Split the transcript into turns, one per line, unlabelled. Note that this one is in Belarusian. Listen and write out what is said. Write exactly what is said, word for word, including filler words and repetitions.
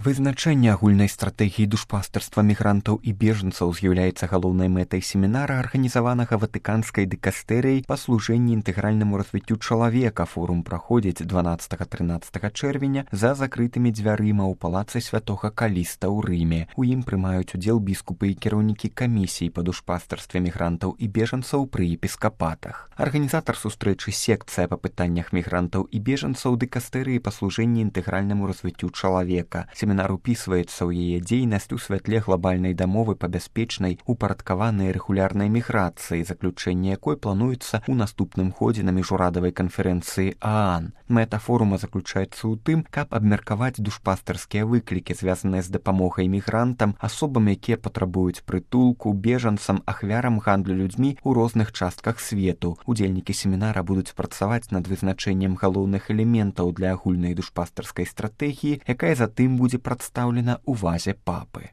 Вызначэнне агульнай стратэгіі душпастарства мігрантаў і бежанцаў з'яўляецца галоўнай мэтай семінара, арганізаванага ватыканскай дыкастэрыяй па служэнні інтэгральнаму развіццю чалавека. Форум праходзіць дванаццатага-трынаццатага чэрвеня за закрытымі дзвярыма ў палацы святога Каліста ў Рыме. У ім прымаюць удзел біскупы і кіраўнікі камісій па душпастарстве мігрантаў і бежанцаў пры епіскапатах. Арганізатар сустрэчы секцыя па пытаннях мігрантаў і бежанцаў дыкастэрыі па служэнні інтэгральнаму развіццю чалавека. Семінар упісваецца ў яе дзейнасць у святле глобальнай дамовы па бяспечнай, упарадкаванай рэгулярнай міграцыі, заключэнне якой плануецца ў наступным ходзе на міжурадавай канферэнцыі ААН. Мэта форума заключаецца ў тым, каб абмеркаваць душпастарскія выклікі, звязаныя з дапамогай мігрантам, асобам, якія патрабуюць прытулку, бежанцам, ахвярам гандлю людзьмі ў розных частках свету. Удзельнікі семінара будуць працаваць над вызначэннем галоўных элементаў для агульнай душпастарскай стратэгіі, якая затым будзе прадстаўлена ў вазе папы.